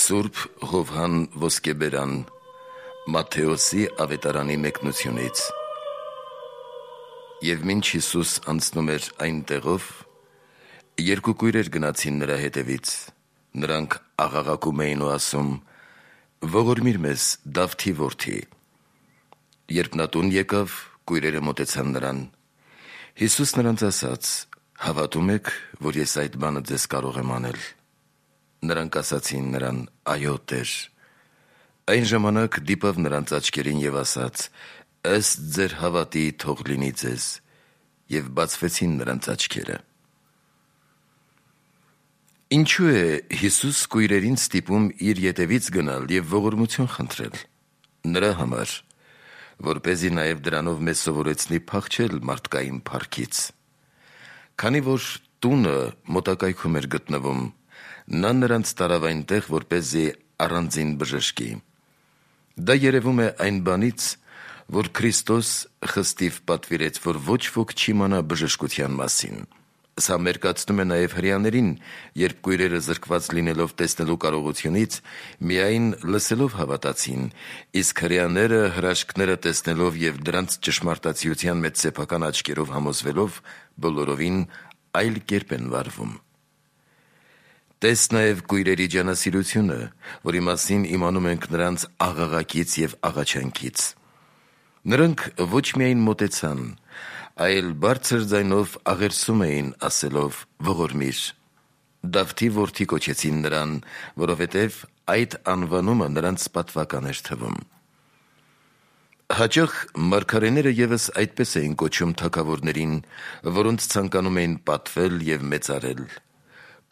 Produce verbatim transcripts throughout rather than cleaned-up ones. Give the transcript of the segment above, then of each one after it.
Սուրբ Հովհան Ոսկեբերան Մատթեոսի ավետարանի մեկնությունից։ Եվ մինչ Հիսուս անցնում էր այն տեղով, երկու կույրեր գնացին նրա հետևից, նրանք աղաղակում էին ու ասում. «Ողորմիր մեզ, Դավթի որդի»։ Երբ նա տուն եկավ, կույրերը մոտեցան նրան։ Հիսուս նրանց ասաց. «Հավատում եք, որ ես այդ բանը ձեզ կարող եմ անել»։ Նրանք ասացին նրան. «Այո, Տեր»։ Այն ժամանակ դիպավ նրանց աչքերին և ասաց. «Ըստ ձեր հավատի թող լինի ձեզ», և բացվեցին նրանց աչքերը։ Ինչու է Հիսուս կույրերին ստիպում իր ետևից գնալ և ողորմություն խնդրել։ Նրա համար, որպեսզի նաև դրանով մեզ սովորեցնի փախչել մարդկային փառքից։ Քանի որ տունը մոտակայքում էր գտնվում, նա նրանց տարավ այնտեղ, որպեսզի առանձին բժշկի։ Դա երևում է այն բանից, որ Քրիստոս խստիվ պատվիրեց, որ ոչ ոք չիմանա բժշկության մասին։ Սա մերկացնում է նաև հրեաներին, երբ կույրերը զրկված լինելով տեսնելու կարողությունից, միայն լսելով հավատացին, իսկ հրեաները հրաշքները տեսնելով և դրանց ճշմարտացիության մեջ սեփական աչքերով համոզվելով, բոլորովին այլ կերպ են վարվում։ Տես նաև կույրերի ջանասիրությունը, որի մասին իմանում ենք նրանց աղաղակից և աղաչանքից։ Նրանք ոչ միայն մոտեցան, այլ բարձր ձայնով աղերսում էին, ասելով. «Ողորմիր»։ Դավթի որդի կոչեցին նրան, որովհետև այդ անվանումը նրանց պատվական էր թվում։ Հաճախ մարգարեները ևս այդպես էին կոչում թագավորներին, որոնց ցանկանում էին պատվել և մեծարել։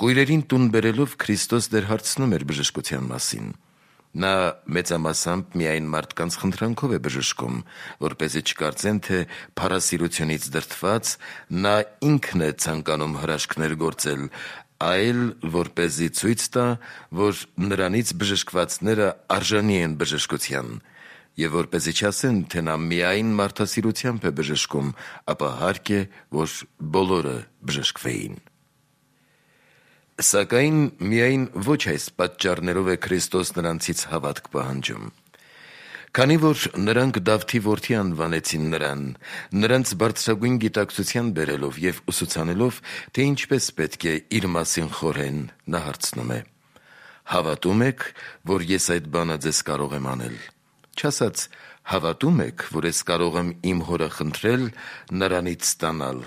Կույրերին տուն բերելով Քրիստոս դեռ հարցնում էր բժշկության մասին։ Նա մեծամասամբ միայն մարդկանց խնդրանքով է բժշկում, որպեսզի չկարծեն, թե փառասիրությունից դրդված նա ինքն է ցանկանում հրաշքներ գործել, այլ որպեսզի ցույց տա, որ նրանից բժշկվածները արժանի են բժշկության, և որպեսզի չասեն, թե նա միայն մարդասիրությամբ է բժշկում, ապա հարկ է, որ բոլորը բժշկվեին։ Սակայն միայն ոչ այս պատճառներով է Քրիստոս նրանցից հավատք պահանջում։ Քանի որ նրանք Դավթի որդի անվանեցին նրան, նրանց բարձրագույն գիտակցության բերելով և ուսուցանելով, թե ինչպես պետք է իր մասին խորհեն, նա հարցնում է. «Հավատո՞ւմ եք, որ ես այդ բանը ձեզ կարող եմ անել»։ Չասաց. «Հավատո՞ւմ եք, որ ես կարող եմ իմ Հորը խնդրել նրանից ստանալ»,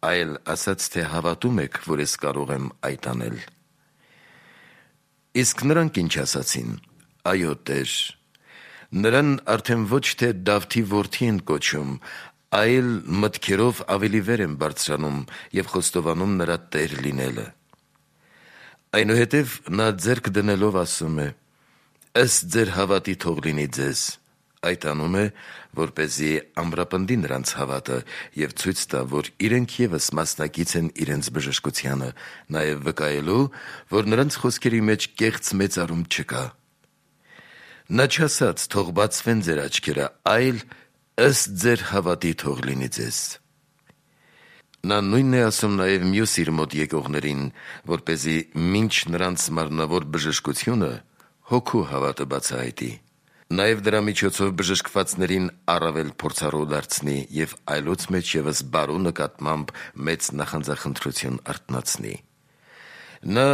այլ ասաց, թե հավատո՞ւմ եք, որ ես կարող եմ այդ անել։ Իսկ նրանք ինչ ասացին. «Այո, Տեր»։ Նրան արդեն ոչ թե Դավթի որդի են կոչում, այլ մտքերով ավելի վեր են բարձրանում և խոստովանում նրա Տեր լինելը։ Այնուհետև նա ձեռք դնելով ասում է. «Ըստ ձեր հավատի թող լինի ձեզ»։ Այդ անում է, որպեսզի ամրապնդի նրանց հավատը և ցույց տա, որ իրենք ևս մասնակից են իրենց բժշկությանը, նաև վկայելու, որ նրանց խոսքերի մեջ կեղծ մեծարում չկա։ Նա չասաց. «Թող բացվեն ձեր աչքերը», այլ «Ըստ ձեր հավատի թող լինի ձեզ»։ Նա նույնն է ասում նաև մյուս իր մոտ եկողներին, որպեսզի մինչ նրանց մարմնավոր բժշկությունը հոգու հավատը բացահայտի։ Նաև դրա միջոցով բժշկվածներին առավել փորձառու դարձնի և այլոց մեջ ևս բարու նկատմամբ մեծ նախանձախնդրություն արթնացնի։ Նա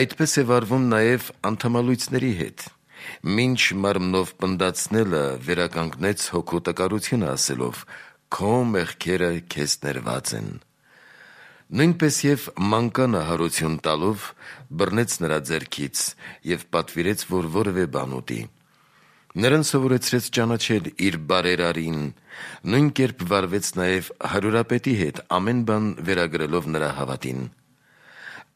այդպես է վարվում նաև անդամալույծների հետ։ Մինչ մարմնով պնդացնելը վերականգնեց հոգու տկարությունը ասելով. «Քո մեղքերը քեզ ներված են»։ Նույնպես և մանկանը հարություն տալով բռնեց նրա ձեռքից և պատվիրեց, որ որևէ բան ուտի։ Նրան սովորեցրեց ճանաչել իր բարերարին, նույն կերպ վարվեց նաև հարյուրապետի հետ, ամեն բան վերագրելով նրա հավատին։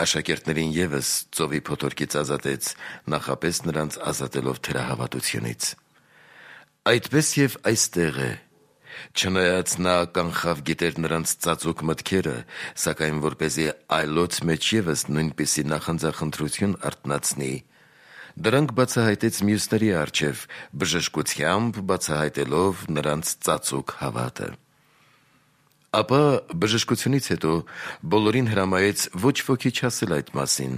Աշակերտներին ևս ծովի փոթորկից ազատեց, նախապես նրանց ազատելով թերահավատությունից։ Այդպես և այստեղ է։ Չնայած նա կանխավ գիտեր նրանց ծածուկ մտքերը, սակայն որպեսզի այլոց մեջ ևս նույնպիսի նախանձախնդրություն արթնացնի, դրանք բացահայտեց մյուսների առջև, բժշկությամբ բացահայտելով նրանց ծածուկ հավատը։ Ապա բժշկությունից հետո բոլորին հրամայեց ոչ ոքի չասել այդ մասին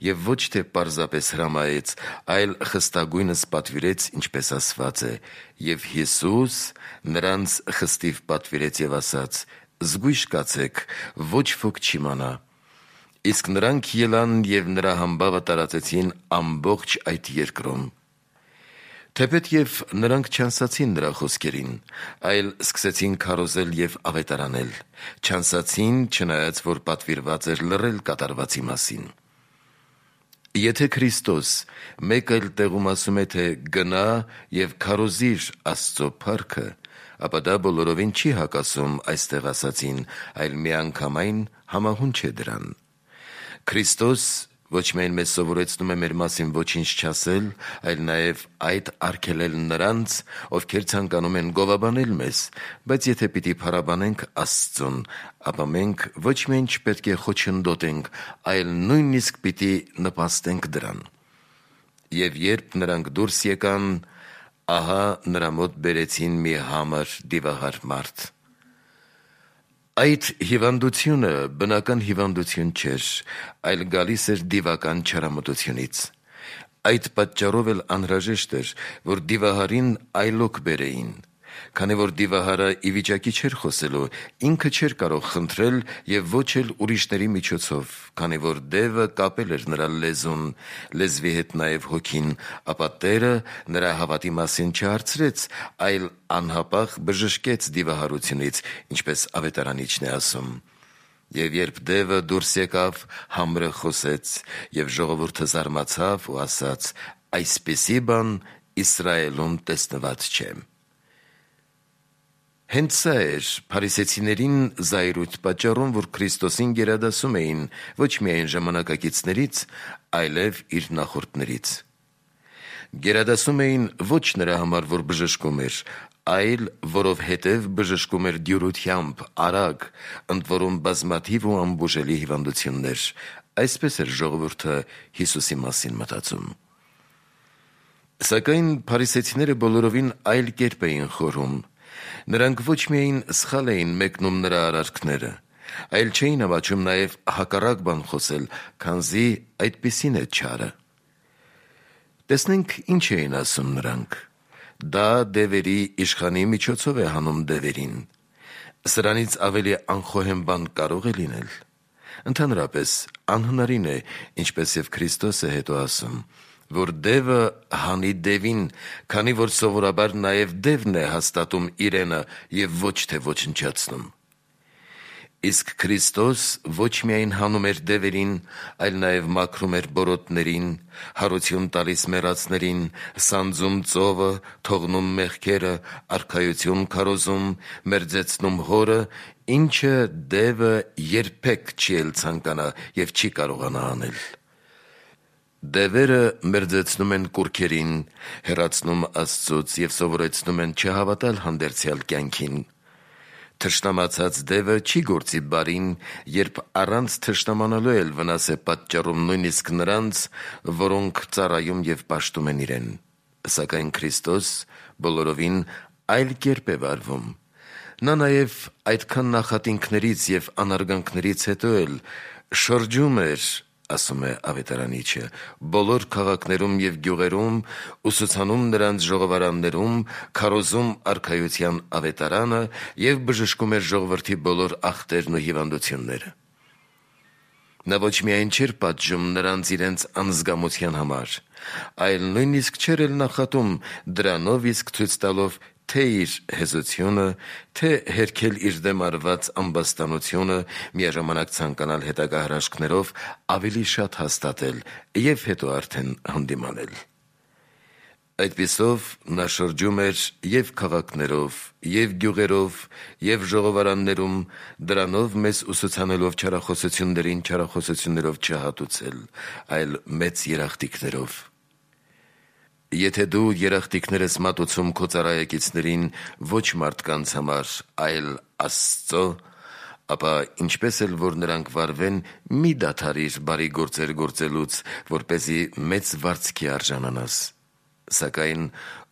և ոչ թե պարզապես հրամայեց, այլ խստագույնս պատվիրեց, ինչպես ասված է. «Եվ Հիսուս նրանց խստիվ պատվիրեց և ասաց. զգույշ կացեք, ոչ ոք չիմանա»։ Իսկ նրանք ելան և նրա համբավը տարածեցին ամբողջ այդ երկրում։ Թեպետ նրանք չանսացին նրա խոսքերին, այլ սկսեցին քարոզել և ավետարանել, չանսացին, չնայած որ պատվիրված էր լռել կատարվածի մասին։ Եթե Քրիստոս մեկ այլ տեղում ասում է, թե «գնա և քարոզիր Աստծո փառքը», ապա դա բոլորովին չի հակասում այստեղ ասածին, այլ միանգամայն համահունչ է դրան։ Քրիստոս ոչ միայն մեզ սովորեցնում է մեր մասին ոչինչ չասել, այլ նաև այդ արգելել նրանց, ովքեր ցանկանում են գովաբանել մեզ, բայց եթե պիտի փառաբանենք Աստծուն, ապա մենք ոչ միայն չպետք է խոչընդոտենք, այլ նույնիսկ պիտի նպաստենք դրան։ Եվ երբ նրանք դուրս եկան, ահա նրա մոտ բերեցին մի համր դիվահար մարդ։ Այդ հիվանդությունը բնական հիվանդություն չէր, այլ գալիս էր դիվական չարամտությունից։ Այդ պատճառով էլ անհրաժեշտ էր, որ դիվահարին այլոք բերեին, քանի որ դիվահարը ի վիճակի չէր խոսելու, ինքը չէր կարող խնդրել և ոչ էլ ուրիշների միջոցով, քանի որ դևը կապել էր նրա լեզուն, լեզվի հետ նաև հոգին, ապա Տերը նրա հավատի մասին չհարցրեց, այլ անհապաղ բժշկեց դիվահարությունից, ինչպես ավետարանիչն է ասում։ Եվ երբ դևը դուրս եկավ, համրը խոսեց, և ժողովուրդը զարմացավ ու ասաց. «Այսպիսի բան Իսրայելում տեսնված չէ»։ Հենց սա էր փարիսեցիներին զայրույթ պատճառում, որ Քրիստոսին գերադասում էին ոչ միայն ժամանակակիցներից, այլև իր նախորդներից։ Գերադասում էին ոչ նրա համար, որ բժշկում էր, այլ որովհետև բժշկում էր դյուրությամբ, արագ, ընդ որում բազմաթիվ ու անբուժելի հիվանդություններ։ Այսպես էր ժողովուրդը Հիսուսի մասին մտածում։ Սակայն փարիսեցիները բոլորովին այլ կերպ էին խորհում։ Նրանք ոչ միայն սխալ էին մեկնում նրա արարքները, այլ չէին ամաչում նաև հակառակ բան խոսել, քանզի այդպիսին է չարը։ Տեսնենք ինչ էին ասում նրանք. «Դա դևերի իշխանի միջոցով է հանում դևերին»։ Սրանից ավելի անխոհեմ բան կարո՞ղ է լինել։ Ընդհանրապես անհնարին է, ինչպես և Քրիստոս է հետո ասում, որ դևը հանի դևին, քանի որ սովորաբար նաև դևն է հաստատում իրենը և ոչ թե ոչնչացնում։ Իսկ Քրիստոս ոչ միայն հանում էր դևերին, այլ նաև մաքրում էր բորոտներին, հարություն տալիս մեռածներին, սանձում ծովը, թողնում մեղքերը, արքայություն քարոզում, մերձեցնում հորը, ինչը դևը երբեք չի էլ ցանկանա և չի կարողանա անել։ Դևերը մերձեցնում են կուռքերին, հեռացնում Աստծուց և սովորեցնում են չհավատալ հանդերձյալ կյանքին։ Թշնամացած դևը չի գործի բարին, երբ առանց թշնամանալու էլ վնաս է պատճառում նույնիսկ նրանց, որոնք ծառայում և պաշտում են իրեն։ Սակայն Քրիստոս բոլորովին այլ կերպ է վարվում։ Նա նաև այդքան նախատինքներից և անարգանքներից հետո էլ շրջում էր, ասում է ավետարանիչը, բոլոր քաղաքներում և գյուղերում, ուսուցանում նրանց ժողովարաններում, քարոզում արքայության ավետարանը և բժշկում էր ժողովրդի բոլոր ախտերն ու հիվանդությունները։ Նա ոչ միայն չէր պատժում նրանց իրենց անզգամության համար, այլ նույնիսկ չէր էլ նախատում դրանով իսկ ցույց տալով թե իր հեզությունը, թե հերքել իր դեմ արված ամբաստանությունը, միաժամանակ ցանկանալ հետագա հրաշքներով ավելի շատ հաստատել և հետո արդեն հանդիմանել։ Այդպիսով նա շրջում էր և քաղաքներով, և գյուղերով, և ժողովարաններում, դրանով մեզ ուսուցանելով չարախոսություններին չարախոսություններով չհատուցել, այլ մեծ երախտիկներով։ Եթե դու երախտիկներս մատուցում քո ծառայակիցներին ոչ մարդկանց համար, այլ Աստծո, ապա ինչպես էլ որ նրանք վարվեն, մի դադարիր բարի գործեր գործելուց, որպեսզի մեծ վարձքի արժանանաս։ Սակայն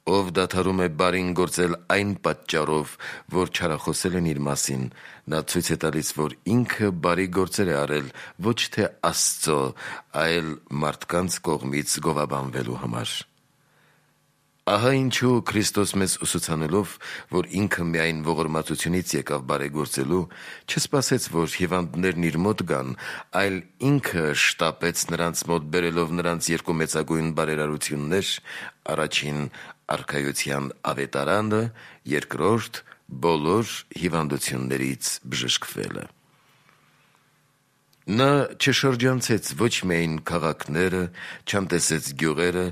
Ով դադարում է բարին գործել այն պատճառով, որ չարախոսել են իր մասին, նա ցույց է տալիս, որ ինքը բարի գործեր է արել ոչ թե Աստծո, այլ մարդկանց կողմից գովաբանվելու համար։ Ահա ինչու Քրիստոս մեզ ուսուցանելով, որ ինքը միայն ողորմածությունից եկավ բարեգործելու, չսպասեց, որ հիվանդներն իր մոտ գան, այլ ինքը շտապեց նրանց մոտ բերելով նրանց երկու մեծագույն բարերարություններ, առաջին արքայության ավետարանը, երկրորդ բոլոր հիվանդություններից բժշկվելը։ Նա չշրջանցեց ոչ միայն քաղաքները, չանտեսեց գյուղերը,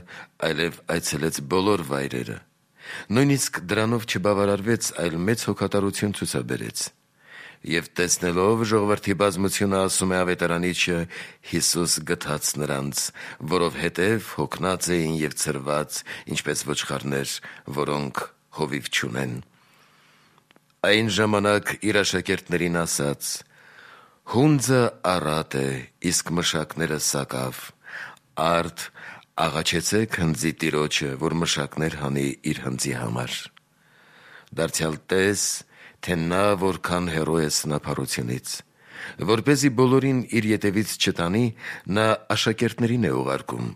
այլև այցելեց բոլոր վայրերը։ Նույնիսկ դրանով չբավարարվեց, այլ մեծ հոգատարություն ցուցաբերեց։ Եվ տեսնելով ժողովրդի բազմությունը, ասում է ավետարանիչը, Հիսուս գթաց նրանց, որովհետև հոգնած էին և ցրված, ինչպես ոչխարներ, որոնք հովիվ չունեն։ Այն ժամանակ իր աշակերտներին ասաց. «Հունձը առատ է, իսկ մշակները սակավ, արդ աղաչեցեք հնձի տիրոջը, որ մշակներ հանի իր հնձի համար»։ Դարձյալ տես, թե նա որքան հեռու է սնափառությունից։ Որպեսզի բոլորին իր ետևից չտանի, նա աշակերտներին է ուղարկում։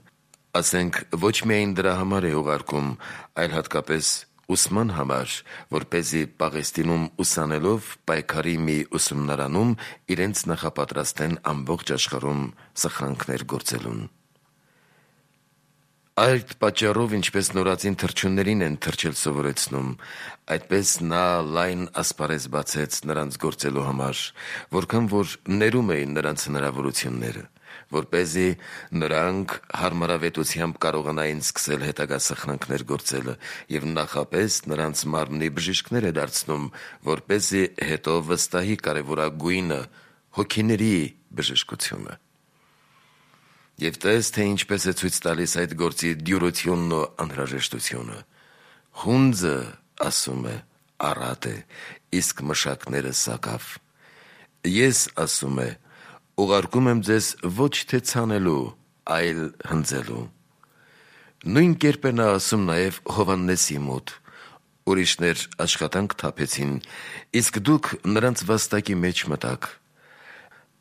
Ասենք, ոչ միայն դրա համար է ուղարկում, այլ հատկապես ուսման համար, որպեսզի Պաղեստինում ուսանելով պայքարի մի ուսումնարանում իրենց նախապատրաստեն ամբողջ աշխարհում սխրանքներ գործելուն։ Այդ պատճառով, ինչպես նորածին թռչուններին են թռչել սովորեցնում, այդպես նա լայն ասպարեզ բացեց նրանց գործելու համար, որքան որ ներում էին նրանց հնարավորությունները, որպեսզի նրանք հարմարավետությամբ կարողանային սկսել հետագա սխրանքներ գործելը և նախապես նրանց մարմնի բժիշկներ է դարձնում, որպեսզի հետո վստահի կարևորագույնը հոգիների բժշկությունը։ Եվ տես, թե ինչպես է ցույց տալիս այդ գործի դյուրությունն ու անհրաժեշտությունը։ Հունձը, ասում է, առատ է, իսկ մշակները սակավ։ Ես, ասում է, ուղարկում եմ ձեզ ոչ թե ցանելու, այլ հնձելու։ Նույն կերպ է նա ասում նաև Հովհաննեսի մոտ. ուրիշներ աշխատանք թափեցին, իսկ դուք նրանց վաստակի մեջ մտաք։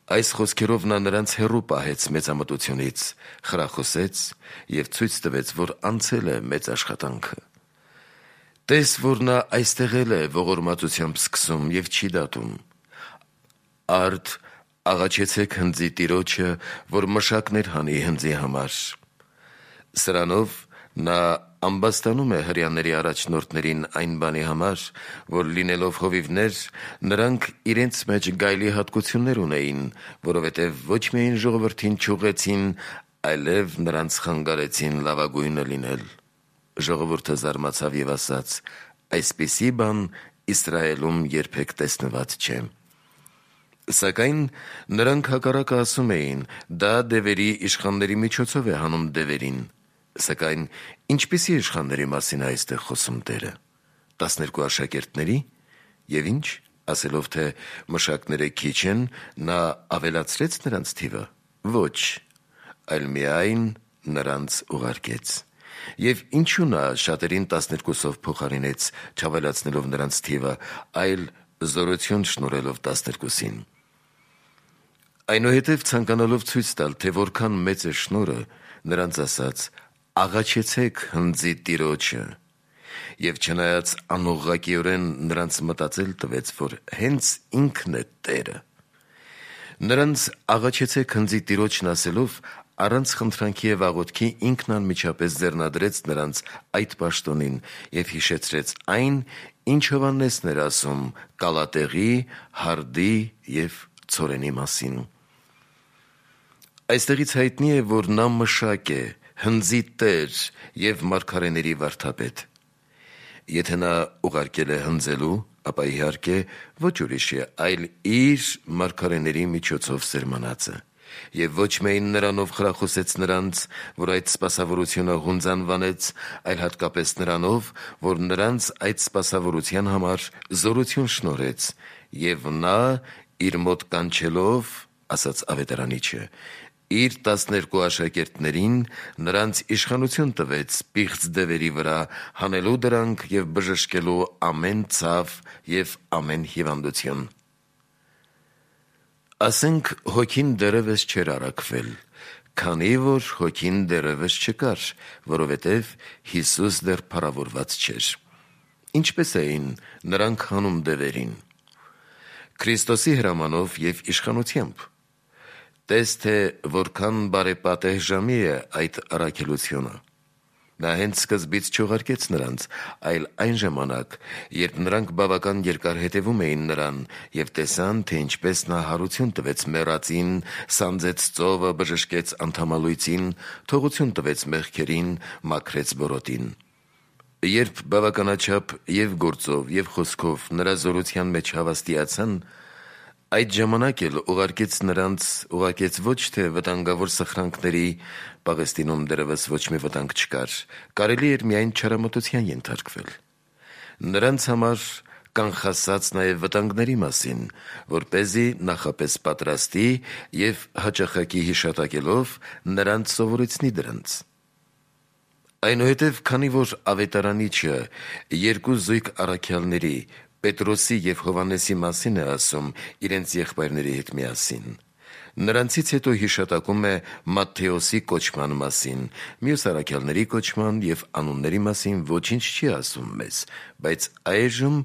Այս խոսքերով նա նրանց հեռու պահեց մեծամտությունից, խրախուսեց և ցույց տվեց, որ անցել է մեծ աշխատանքը։ Տես, որ նա այստեղ էլ է ողորմածությամբ սկսում և չի դատում։ Արդ աղաչեցեք հնձի տիրոջը, որ մշակներ հանի հնձի համար։ Սրանով նա ամբաստանում է հրեաների առաջնորդներին այն բանի համար, որ լինելով հովիվներ, նրանք իրենց մեջ գայլի հատկություններ ունեին, որովհետև ոչ միայն ժողովրդին չուղղեցին, այլև նրանց խանգարեցին լավագույնը լինել։ Ժողովուրդը զարմացավ և ասաց. «Այսպիսի բան Իսրայելում երբեք տեսնված չէ»։ Սակայն նրանք հակառակը ասում էին. դա դևերի իշխանների միջոցով է հանում դևերին։ Սակայն ինչպիսի իշխանների մասին է այստեղ խոսում Տերը։ Տասներկու աշակերտների՞։ Եվ ինչ, ասելով, թե մշակները քիչ են, նա ավելացրեց նրանց թիվը։ Ոչ, այլ միայն նրանց ուղարկեց։ Եվ ինչու նա շատերին տասներկուսով փոխարինեց, չավելացնելով նրանց թիվը, այլ զորություն շնորհելով տասներկուսին։ Այնուհետև ցանկանալով ցույց տալ, թե որքան մեծ է շնորհը, նրանց ասաց. «Աղաչեցեք հնձի տիրոջը»։ Եվ չնայած անուղղակիորեն նրանց մտածել տվեց, որ հենց ինքն է Տերը։ Նրանց աղաչեցեք հնձի տիրոջն ասելով, առանց խնդրանքի և աղոթքի ինքն անմիջապես ձեռնադրեց նրանց այդ պաշտոնին և հիշեցրեց այն, ինչ Հովհաննեսն էր ասում կալատեղի, հարդի և ցորենի մասին։ Այստեղից հայտնի է, որ նա մշակ է, հնձի տեր և մարգարեների վարդապետ։ Եթե նա ուղարկել է հնձելու, ապա իհարկե ոչ ուրիշի, այլ իր մարգարեների միջոցով սերմանածը։ Եվ ոչ միայն նրանով խրախուսեց նրանց, որ այդ սպասավորությունը հունձ անվանեց, այլ հատկապես նրանով, որ նրանց այդ սպասավորության համար զորություն շնորհեց, և նա իր մոտ կանչելով, ասաց ավետարանիչը, իր տասներկու աշակերտներին նրանց իշխանություն տվեց պիղծ դևերի վրա հանելու դրանք և բժշկելու ամեն ցավ և ամեն հիվանդություն։ Ասենք հոգին դեռևս չէր առաքվել, քանի որ հոգին դեռևս չկար, որովհետև Հիսուս դեռ փառավորված չէր։ Ինչպես էին նրանք հանում դևերին։ Քրիստոսի հրամանով և իշխանությամբ։ Տես թե որքան բարեպատեհ ժամի է այդ առաքելությունը։ Նա հենց սկզբից չուղարկեց նրանց, այլ այն ժամանակ, երբ նրանք բավական երկար հետևում էին նրան և տեսան, թե ինչպես նա հարություն տվեց մեռածին, սանձեց ծովը, բժշկեց անդամալույծին, թողություն տվեց մեղքերին, մաքրեց բորոտին։ Երբ բավականաչափ և գործով և խոսքով նրա զորության մեջ հավաստիացան, այդ ժամանակ էլ ուղարկեց նրանց, ուղարկեց ոչ թե վտանգավոր սխրանքների, Պաղեստինում դեռևս ոչ մի վտանգ չկար, կարելի էր միայն չարամտության ենթարկվել։ Նրանց համար կանխասած նաև վտանգների մասին, որպեսզի նախապես պատրաստի և հաճախակի հիշատակելով նրանց սովորեցնի դրանց։ Այնուհետև, քանի որ ավետարանիչը երկու զույգ առաքյալների՝ Պետրոսի և Հովհաննեսի մասին է ասում իրենց եղբայրների հետ միասին, նրանցից հետո հիշատակում է Մատթեոսի կոչման մասին, մյուս առաքյալների կոչման և անունների մասին ոչինչ չի ասում մեզ, բայց այժմ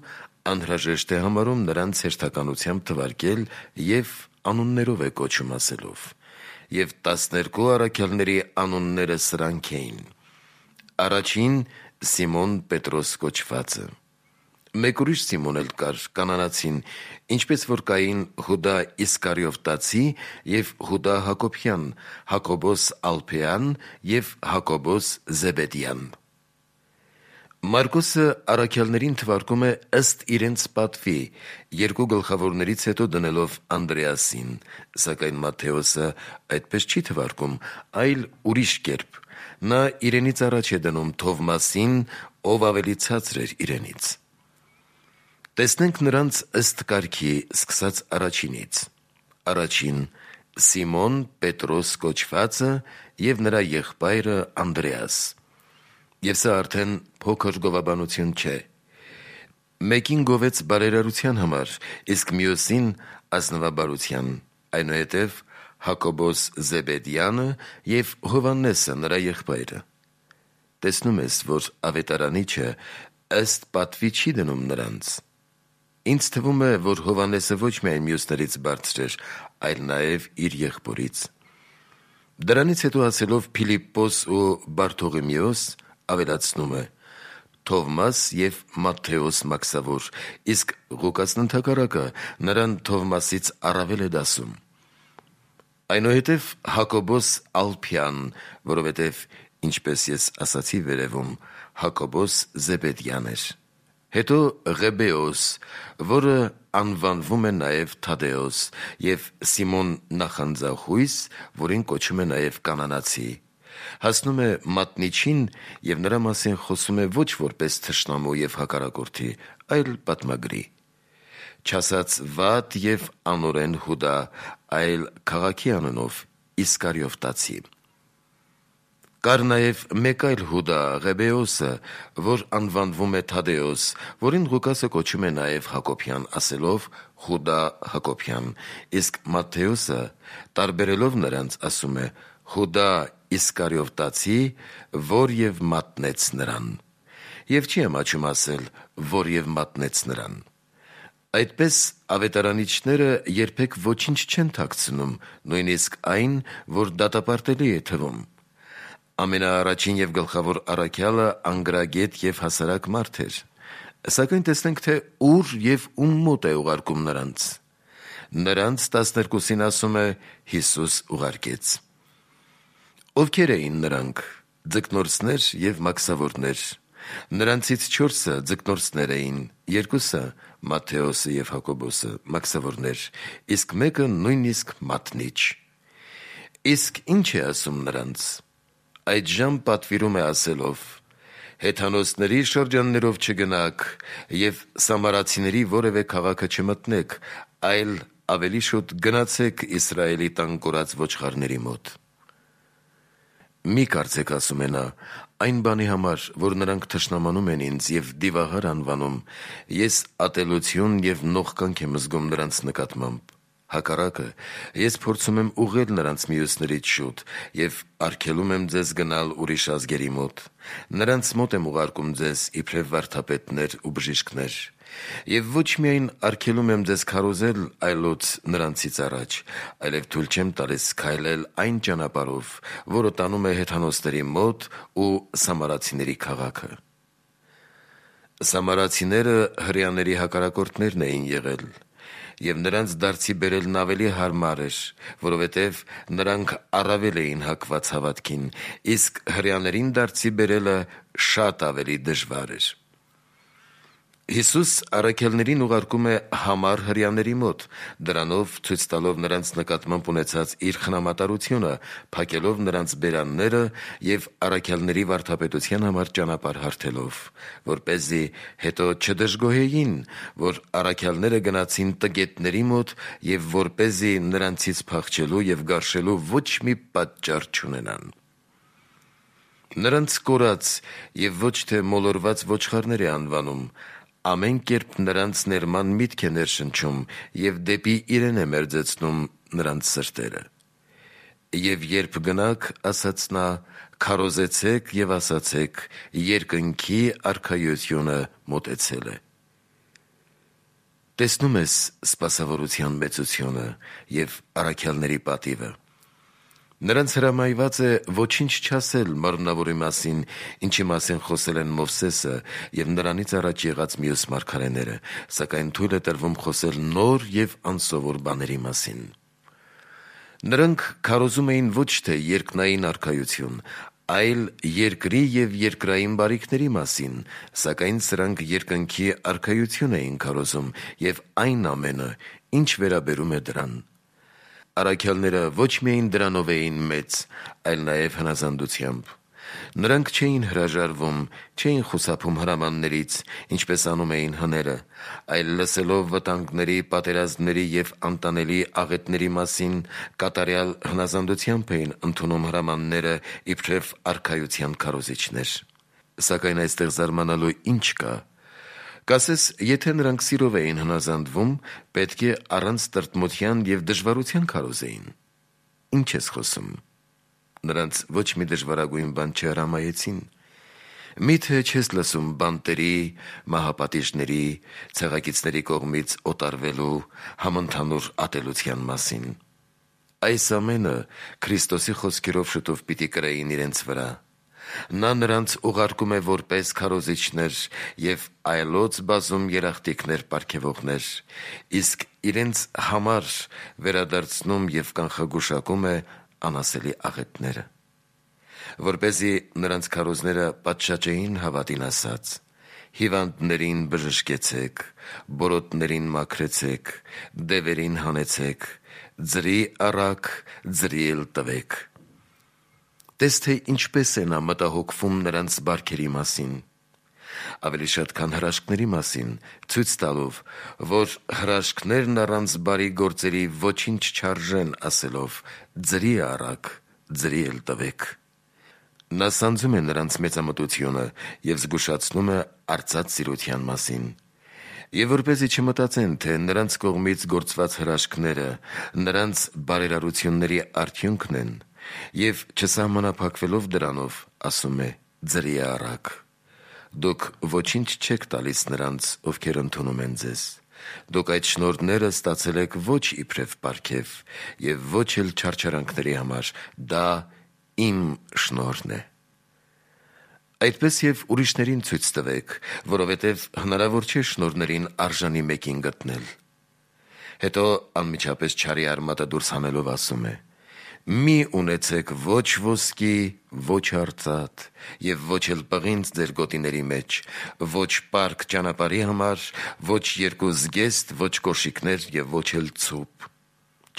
անհրաժեշտ է համարում նրանց հերթականությամբ թվարկել և անուններով է կոչում ասելով։ Եվ տասներկու առաքյալների անունները սրանք էին. Առաջին՝ Սիմոն Պետրոս կոչվածը։ Մեկ ուրիշ Սիմոն էլ կար, կանանացին, ինչպես որ կային Հուդա Իսկարիովտացի և Հուդա Հակոբյան, Հակոբոս Ալփեյան և Հակոբոս Զեբեդյան։ Մարկոսը առաքյալներին թվարկում է ըստ իրենց պատվի, երկու գլխավորներից հետո դնելով Անդրեասին, սակայն Մատթեոսը այդպես չի թվարկում, այլ ուրիշ կերպ։ Նա իրենից առաջ է դնում Թովմասին, ով ավելի ցածր էր իրենից։ Տեսնենք նրանց ըստ կարգի, սկսած առաջինից։ Առաջին՝ Սիմոն Պետրոս կոչվածը և նրա եղբայրը Անդրեաս։ Եվ սա արդեն փոքր գովաբանություն չէ։ Մեկին գովեց բարերարության համար, իսկ մյուսին՝ ազնվաբարության, այնուհետև Հակոբոս Զեբեդյանը և Հովհաննեսը նրա եղբայրը։ Տեսնում ես, որ ավետարանիչը ըստ պատվի չի դնում նրանց։ Ինձ թվում է, որ Հովհաննեսը ոչ միայն մյուսներից բարձր էր, այլ նաև իր եղբորից։ Դրանից հետո ասելով Փիլիպպոս ու Բարթողիմեոս, ավելացնում է. Թովմաս և Մատթեոս մաքսավոր, իսկ Ղուկասն ընդհակառակը նրան Թովմասից առավել է դասում։ Այնուհետև Հակոբոս Ալփյան, որովհետև, ինչպես ես ասացի վերևում, Հակոբոս Զեբեդյան էր։ Հետո Ղեբեոս, որը անվանվում է նաև Թադեոս, և Սիմոն նախանձախույս, որին կոչում է նաև կանանացի, հասնում է մատնիչին և նրա մասին խոսում է ոչ որպես թշնամու և հակառակորդի, այլ պատմագրի։ Չասած վատ և անօրեն Հուդա, այլ քաղաքի անունով Իսկարիովտացի։ Կար նաև մեկ այլ Հուդա, Ղեբեոսը, որ անվանվում է Թադեոս, որին Ղուկասը կոչում է նաև Հակոբյան, ասելով Հուդա Հակոբյան, իսկ Մատթեոսը, տարբերելով նրանց, ասում է Հուդա Իսկարիովտացի, որ և մատնեց նրան։ Եվ չի ամաչում ասել, որ և մատնեց նրան։ Այդպես ավետարանիչները երբեք ոչինչ չեն թաքցնում, նույնիսկ այն, որ դատապարտելի է թվում։ Ամենաառաջին և գլխավոր առաքյալը անգրագետ և հասարակ մարդ էր։ Սակայն տեսնենք, թե ուր և ում մոտ է ուղարկում նրանց։ Նրանց տասներկուսին ասում է Հիսուս ուղարկեց։ Ովքեր էին նրանք։ Ձկնորսներ և մաքսավորներ։ Նրանցից չորսը ձկնորսներ էին, երկուսը՝ Մատթեոսը և Հակոբոսը, մաքսավորներ, իսկ մեկը նույնիսկ մատնիչ։ Իսկ ի՞նչ է ասում նրանց։ Այդժամ պատվիրում է ասելով. հեթանոսների շրջաններով չգնաք և սամարացիների որևէ քաղաքը չմտնեք, այլ ավելի շուտ գնացեք Իսրայելի տան կորած ոչխարների մոտ։ Մի կարծեք, ասում է նա, այն բանի համար, որ նրանք թշնամանում են ինձ և դիվահար անվանում, ես ատելություն և նողկանք եմ զգում նրանց նկատմամբ։ Հակառակը, ես փորձում եմ ուղղել նրանց մյուսներից շուտ և արգելում եմ ձեզ գնալ ուրիշ ազգերի մոտ։ Նրանց մոտ եմ ուղարկում ձեզ իբրև վարդապետներ ու բժիշկներ։ Եվ ոչ միայն արգելում եմ ձեզ քարոզել այլոց նրանցից առաջ, այլև թույլ չեմ տալիս քայլել այն ճանապարհով, որը տանում է հեթանոսների մոտ ու սամարացիների քաղաքը։ Սամարացիները հրեաների հակառակորդներն էին եղել, և նրանց դարձի բերելն ավելի հարմար էր, որովհետև նրանք առավել էին հակված հավատքին, իսկ հրեաներին դարձի բերելը շատ ավելի դժվար էր։ Հիսուս առաքյալներին ուղարկում է համառ հրեաների մոտ, դրանով ցույց տալով նրանց նկատմամբ ունեցած իր խնամատարությունը, փակելով նրանց բերանները և առաքյալների վարդապետության համար ճանապարհ հարթելով, որպեսզի հետո չդժգոհեին, որ առաքյալները գնացին տգետների մոտ և որպեսզի նրանցից փախչելու և գարշելու ոչ մի պատճառ չունենան։ Նրանց կորած և ոչ թե մոլորված ոչխարներ է անվանում, ամեն կերպ նրանց ներման միտք է ներշնչում և դեպի իրեն է մերձեցնում նրանց սրտերը։ Եվ երբ գնաք, ասաց նա, քարոզեցեք և ասացեք. երկնքի արքայությունը մոտեցել է։ Տեսնում ես սպասավորության մեծությունը և առաքյալների պատիվը։ Նրանց հրամայված է ոչինչ չասել մարմնավորի մասին, ինչի մասին խոսել են Մովսեսը և նրանից առաջ եղած մյուս մարգարեները, սակայն թույլ է տրվում խոսել նոր և անսովոր բաների մասին։ Նրանք քարոզում էին ոչ թե երկնային արքայություն, այլ երկրի և երկրային բարիքների մասին, սակայն սրանք երկնքի արքայություն էին քարոզում և այն ամենը, ինչ վերաբերում է դրան։ Առաքյալները ոչ միայն դրանով էին մեծ, այլ նաև հնազանդությամբ։ Նրանք չէին հրաժարվում, չէին խուսափում հրամաններից, ինչպես անում էին հները, այլ լսելով վտանգների, պատերազմների և անտանելի աղետների մասին, կատարյալ հնազանդությամբ էին ընդունում հրամանները իբրև արքայության քարոզիչներ։ Սակայն այստեղ զարմանալու ինչ կա։ Կասես, եթե նրանք սիրով էին հնազանդվում, պետք է առանց տրտմության և դժվարության քարոզեին։ Ինչ ես խոսում։ Նրանց ոչ մի դժվարագույն բան չհրամայեցին։ Մի՞թե չես լսում բանտերի, մահապատիժների, ցեղակիցների կողմից օտարվելու, համընդհանուր ատելության մասին։ Այս ամենը Քրիստոսի խոսքերով շուտով պիտի կրեին իրենց վրա։ Նա նրանց ուղարկում է որպես քարոզիչներ և այլոց բազում երախտիկներ պարգևողներ, իսկ իրենց համար վերադարձնում և կանխագուշակում է անասելի աղետները։ Որպեսզի նրանց քարոզները պատշաճեին հավատին ասած. հիվանդներին բժշկեցեք, բորոտներին մաքրեցեք, դևերին հանեցեք, ձրի առաք, ձրի էլ տվեք։ Տես թե ինչպես է նա մտահոգվում նրանց բարքերի մասին, ավելի շատ քան հրաշքների մասին, ցույց տալով, որ հրաշքներն առանց բարի գործերի ոչինչ չարժեն, ասելով. ձրի առաք, ձրի էլ տվեք։ Նա սանձում է նրանց մեծամտությունը և զգուշացնում է արծած սիրության մասին։ Եվ որպեսզի չմտածեն, թե նրանց կողմից գործված հրաշքները նրանց բարերարությունների արդյունքն են, և չսահմանափակվելով դրանով, ասում է. ձրի առաք։ Դուք ոչինչ չեք տալիս նրանց, ովքեր ընդունում են ձեզ։ Դուք այդ շնորհները ստացել եք ոչ իբրև պարգև և ոչ էլ չարչարանքների համար, դա իմ շնորհն է։ Այդպես և ուրիշներին ցույց տվեք, որովհետև հնարավոր չէ շնորհներին արժանի մեկին գտնել։ Հետո անմիջապես չարի արմատը դուրս հանելով ասում է. մի ունեցեք ոչ ոսկի, ոչ արծաթ և ոչ էլ պղինձ ձեր գոտիների մեջ, ոչ պարկ ճանապարհի համար, ոչ երկու զգեստ, ոչ կոշիկներ և ոչ էլ ցուպ։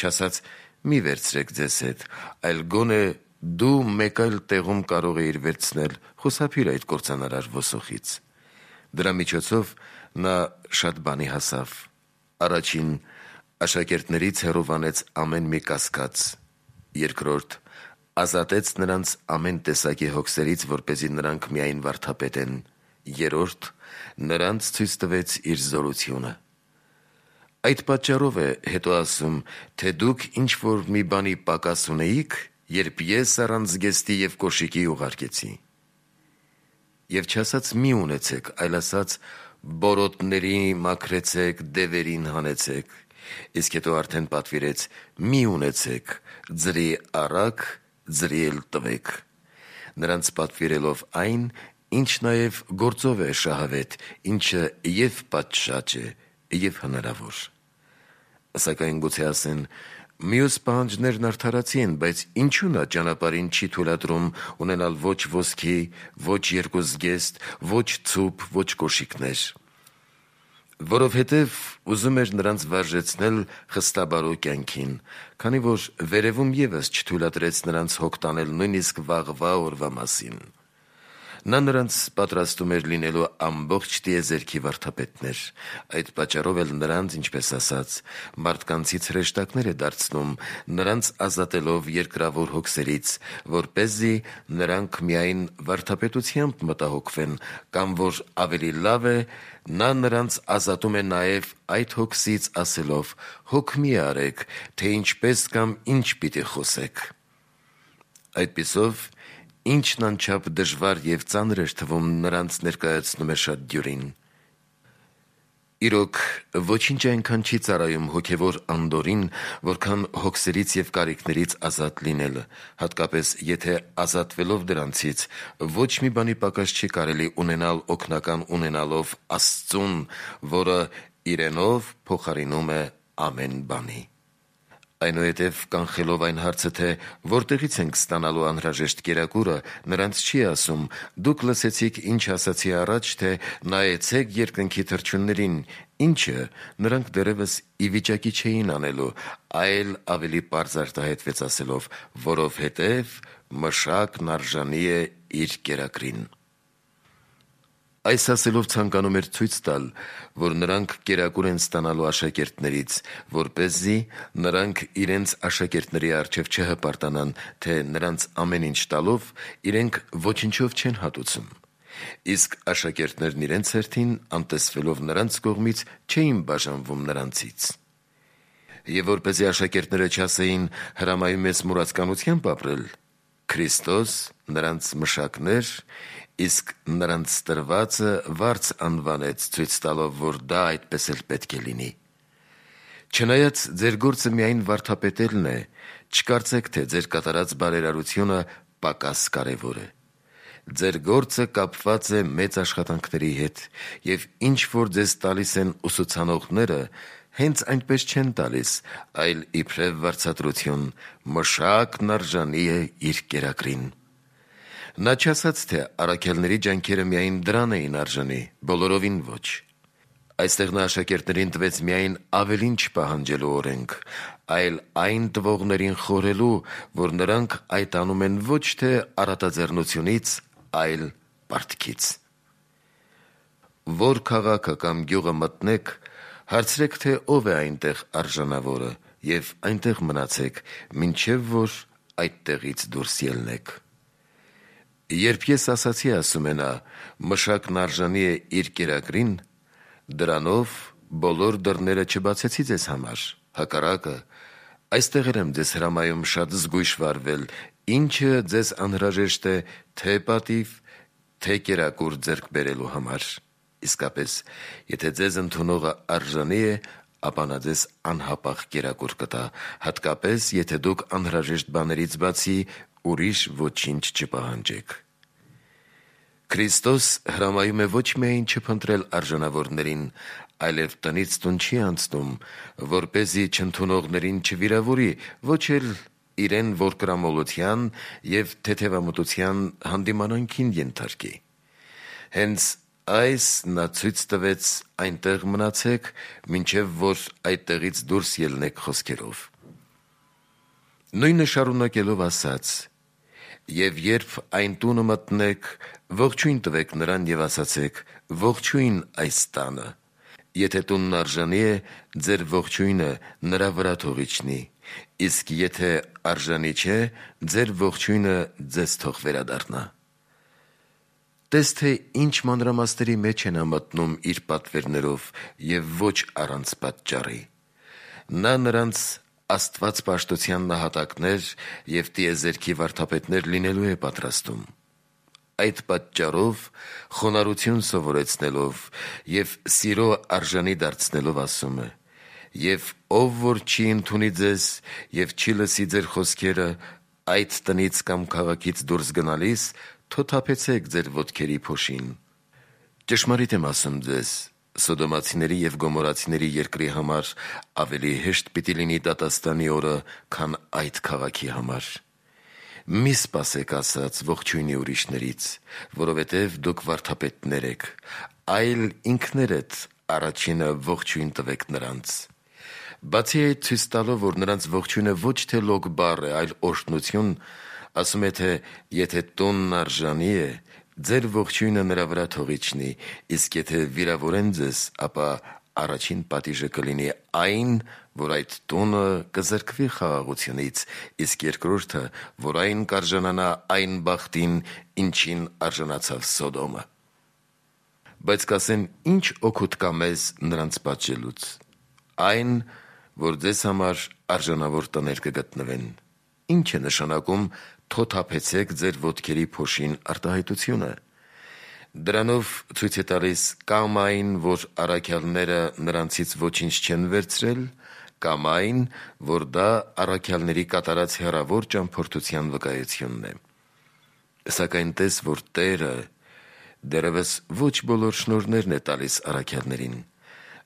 Չասած մի վերցրեք ձեզ հետ, այլ գոնե դու մեկ այլ տեղում կարող էիր վերցնել, խուսափիր այդ կործանարար ոսոխից։ Դրա միջոցով նա շատ բանի հասավ։ Առաջին, Աշակերտներից հեռովանեց ամեն մի կասկած։ Երկրորդ, ազատեց նրանց ամեն տեսակի հոգսերից, որպեսզի նրանք միայն վարդապետեն։ Երրորդ, նրանց ցույց տվեց իր զորությունը։ Այդ պատճառով է հետո ասում, թե դուք ինչ-որ մի բանի պակաս ունեիք, երբ ես առանց զգեստի և կոշիկի ուղարկեցի։ Եվ չասաց մի ունեցեք, այլ ասաց բորոտների մաքրեցեք, դևերին հանեցեք, իսկ հետո արդեն պատվիրեց մի ունեցեք, ձրի առակ, ձրի էլ տվեք, նրանց պատվիրելով այն, ինչ նաև գործով է շահավետ, ինչը և պատշաճ է, և հնարավոր։ Սակայն գուցե ասեն, մյուս պահանջներն արդարացի են, բայց ինչու նա ճանապարհին չի թույլատրում ունենալ ոչ ոսկի, ոչ երկու զգեստ, ոչ ցուպ, ոչ կոշիկներ։ Որովհետև ուզում էր նրանց վարժեցնել խստաբարո կյանքին, քանի որ վերևում ևս չթույլատրեց նրանց հոգ տանել նույնիսկ վաղվա օրվա մասին։ Նա նրանց պատրաստում էր լինելու ամբողջ տիեզերքի վարդապետներ, այդ պատճառով էլ նրանց, ինչպես ասաց, մարդկանցից հրեշտակներ է դարձնում, նրանց ազատելով երկրավոր հոգսերից, որպեսզի նրանք միայն վարդապետությամբ մտահոգվեն, կամ որ ավելի լավ է, նա նրանց ազատում է նաև այդ հոգսից ասելով. «Հոգ մի արեք, թե ինչպես կամ ինչ պիտի խոսեք»։ Այդպիսով, ինչն անչափ դժվար և ծանր էր թվում, նրանց ներկայացնում է շատ դյուրին։ Իրոք, ոչինչ այնքան չի ծառայում հոգևոր անդորրին, որքան հոգսերից և կարիքներից ազատ լինելը, հատկապես եթե ազատվելով դրանցից, ոչ մի բանի պակաս չի կարելի ունենալ օգնական ունենալով Աստծուն, որը իրենով փոխարինում է ամեն բանի։ Այնուհետև կանխելով այն հարցը, թե որտեղից ենք ստանալու անհրաժեշտ կերակուրը, նրանց չի ասում. «Դուք լսեցիք, ինչ ասացի առաջ, թե նայեցեք երկնքի թռչուններին», ինչը նրանք դեռևս ի վիճակի չէին անելու, այլ ավելի պարզ արտահայտվեց ասելով. «Որովհետև մշակն արժանի է իր կերակրին»։ Այս ասելով ցանկանում էր ցույց տալ, որ նրանք կերակուր են ստանալու աշակերտներից, որպեսզի նրանք իրենց աշակերտների առջև չհպարտանան, թե նրանց ամեն ինչ տալով իրենք ոչնչով չեն հատուցում։ Իսկ աշակերտներն իրենց հերթին, անտեսվելով նրանց կողմից, չէին բաժանվում նրանցից։ Եվ որպեսզի աշակերտները չասեին հրամայում ես մուրացկանությամբ ապրել, Քրիստոս նրանց մշակներ, իսկ նրանց տրվածը վարձ անվանեց, ցույց տալով, որ դա այդպես էլ պետք է լինի։ Չնայած ձեր գործը միայն վարդապետելն է, չկարծեք, թե ձեր կատարած բարերարությունը պակաս կարևոր է։ Ձեր գործը կապված է մեծ աշխատանքների հետ, և ինչ որ ձեզ տալիս են ուսուցանողները, հենց այնպես չեն տալիս, այլ իբրև վարձատրություն, մշակն արժանի է իր կերակրին։ Նա չասաց, թե առաքյալների ջանքերը միայն դրան էին արժանի, բոլորովին ոչ։ Այստեղ նա աշակերտներին տվեց միայն ավելին չպահանջելու օրենք, այլ այն տվողներին խորհելու, որ նրանք այդ անում են ոչ թե առատաձեռնությունից, այլ պարտքից։ Որ քաղաքը կամ գյուղը մտնեք, հարցրեք, թե ով է այնտեղ արժանավորը, և այնտեղ մնացեք, մինչև որ այդտեղից դուրս ելնեք։ Երբ ես ասացի, ասում է նա, մշակն արժանի է իր կերակրին, դրանով բոլոր դռները չբացեցի ձեզ համար, հակառակը, այստեղ եմ ձեզ հրամայում շատ զգույշ վարվել, ինչը ձեզ անհրաժեշտ է թե պատիվ, թե կերակուր ձեռք բերելու համար։ Իսկապես, եթե ձեզ ընդունողը արժանի է, ապա նա ձեզ անհապաղ կերակուր կտա, հատկապես, եթե դուք անհրաժեշտ բաներից բացի ուրիշ ոչինչ չպահանջեք։ Քրիստոս հրամայում է ոչ միայն չփնտրել արժանավորներին, այլև տնից տուն չի անցնում, որպեսզի չընդունողներին չվիրավորի, ոչ էլ իրեն որկրամոլության և թեթևամտության հանդիմանանքին ենթարկի։ Հենց այս նա ցույց տվեց այնտեղ մնացեք, մինչև որ այդտեղից դուրս ելնեք խոսքերով։ Նույնը շարունակելով ասաց. «Եվ երբ այն տունը մտնեք, ողջույն տվեք նրան և ասացեք. ողջույն այս տանը, Եթե տունն արժանի է, ձեր ողջույնը նրա վրա թող իջնի, իսկ եթե արժանի չէ, ձեր ողջույնը ձեզ թող վերադառնա։ Տես թե ինչ մանրամասների մեջ է նա մտնում իր պատվերներով և ոչ առանց պատճառի։ Նա նրանց Աստված պաշտության նահատակներ և տիեզերքի վարդապետներ լինելու է պատրաստում։ Այդ պատճառով խոնարհություն սովորեցնելով և սիրո արժանի դարձնելով ասում է. «Եվ ով որ չի ընդունի ձեզ և չի լսի ձեր խոսքերը, այդ տնից կամ քաղաքից դուրս գնալիս թոթափեցեք ձեր ոտքերի փոշին»։ Ճշմարիտ եմ ասում ձեզ. Սոդոմացիների և Գոմորացիների երկրի համար ավելի հեշտ պիտի լինի դատաստանի օրը, քան այդ քաղաքի համար։ Մի սպասեք ասած ողջույնի ուրիշներից, որովհետև դուք վարդապետներ եք, այլ ինքներդ առաջինը ողջույն տվեք նրանց։ Բացի այդ, ցույց տալով, որ նրանց ողջույնը ոչ թե լոկ բառ է, այլ օրհնություն, ասում է, թե եթե տունն արժանի է, ձեր ողջույնը նրա վրա թող իջնի, իսկ եթե վիրավորեն ձեզ, ապա առաջին պատիժը կլինի այն, որ այդ տունը կզրկվի խաղաղությունից, իսկ երկրորդը, որ այն կարժանանա այն բախտին, ինչին արժանացավ Սոդոմը։ Բայց կասեն, ի՞նչ օգուտ կա մեզ նրանց պատժելուց։ Այն, որ ձեզ համար արժանավոր տներ կգտնվեն։ Ինչ է նշանակում թոթափեցեք ձեր ոտքերի փոշին արտահայտությունը։ Դրանով ցույց է տալիս կամ այն, որ առաքյալները նրանցից ոչինչ չեն վերցրել, կամ այն, որ դա առաքյալների կատարած հեռավոր ճամփորդության վկայությունն է։ Սակայն տես, որ Տերը դեռևս ոչ բոլոր շնորհներն է տալիս առաքյալներին։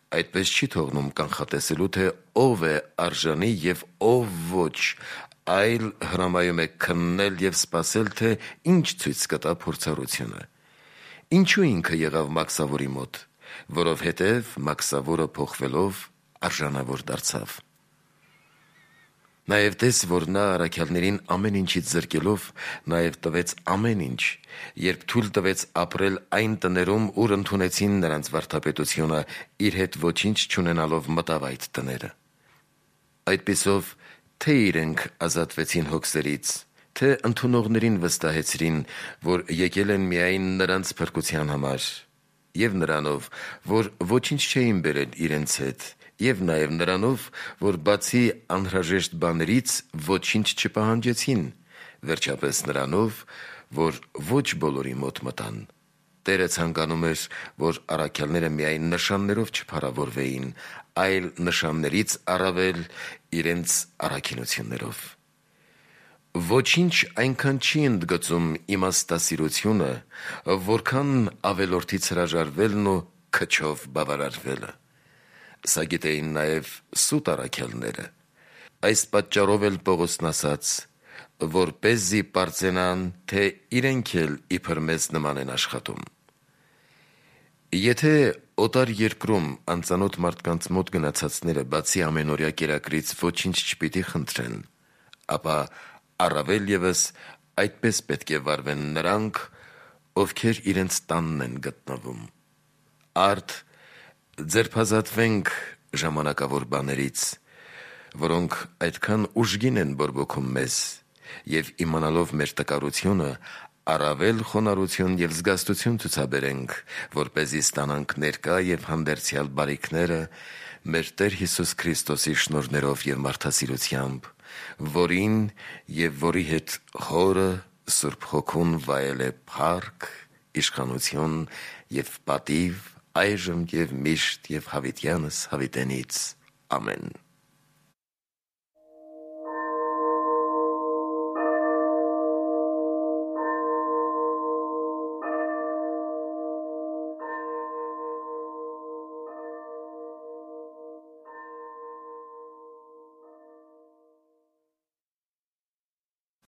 Այդպես չի թողնում կանխատեսելու, թե ով է արժանի և ով ոչ, այլ հրամայում է քննել և սպասել, թե ինչ ցույց կտա փորձառությունը։ Ինչու ինքը եղավ մաքսավորի մոտ, որովհետև մաքսավորը փոխվելով արժանավոր դարձավ։ Նաև տես, որ նա առաքյալներին ամեն ինչից զրկելով, նաև տվեց ամեն ինչ, երբ թույլ տվեց ապրել այն տներում, ուր ընդունեցին նրանց վարդապետությունը, իր հետ ոչինչ չունենալով մտավ այդ տները։ Այդպիսով, թե իրենք ազատվեցին հոգսերից, թե ընդունողներին վստահեցրին, որ եկել են միայն նրանց փրկության համար, և նրանով, որ ոչինչ չէին բերել իրենց հետ, և նաև նրանով, որ բացի անհրաժեշտ բաներից ոչինչ չպահանջեցին, վերջապես նրանով, որ ոչ բոլորի մոտ մտան։ Տերը ցանկանում էր, որ առաքյալները միայն նշաններով չփառավորվեին, այլ նշաններից առավել իրենց առաքինություններով։ Ոչինչ այնքան չի ընդգծում իմաստասիրությունը, որքան ավելորդից հրաժարվելն ու քչով բավարարվելը։ Սա գիտեին նաև սուտ առաքյալները։ Այս պատճառով էլ Պողոսն ասաց. որպեսզի պարծենան, թե իրենք էլ իբր մեզ նման են աշխատում։ Եթե օտար երկրում անծանոթ մարդկանց մոտ գնացածները բացի ամենօրյա կերակրից ոչինչ չպիտի խնդրեն, ապա առավել ևս այդպես պետք է վարվեն նրանք, ովքեր իրենց տանն են գտնվում։ Արդ ձերբազատվենք ժամանակավոր բաներից, որոնք այդքան ուժգին են բորբոքում մեզ, և իմանալով մեր տկարությունը, առավել խոնարհություն և զգաստություն ցուցաբերենք, որպեսզի ստանանք ներկա և հանդերձյալ բարիքները մեր Տեր Հիսուս Քրիստոսի շնորհներով և մարդասիրությամբ, որին և որի հետ Հորը Սուրբ Հոգուն վայել է փառք, իշխանություն և պատիվ այժմ և միշտ և հավիտյանս հավիտենից։ Ամեն։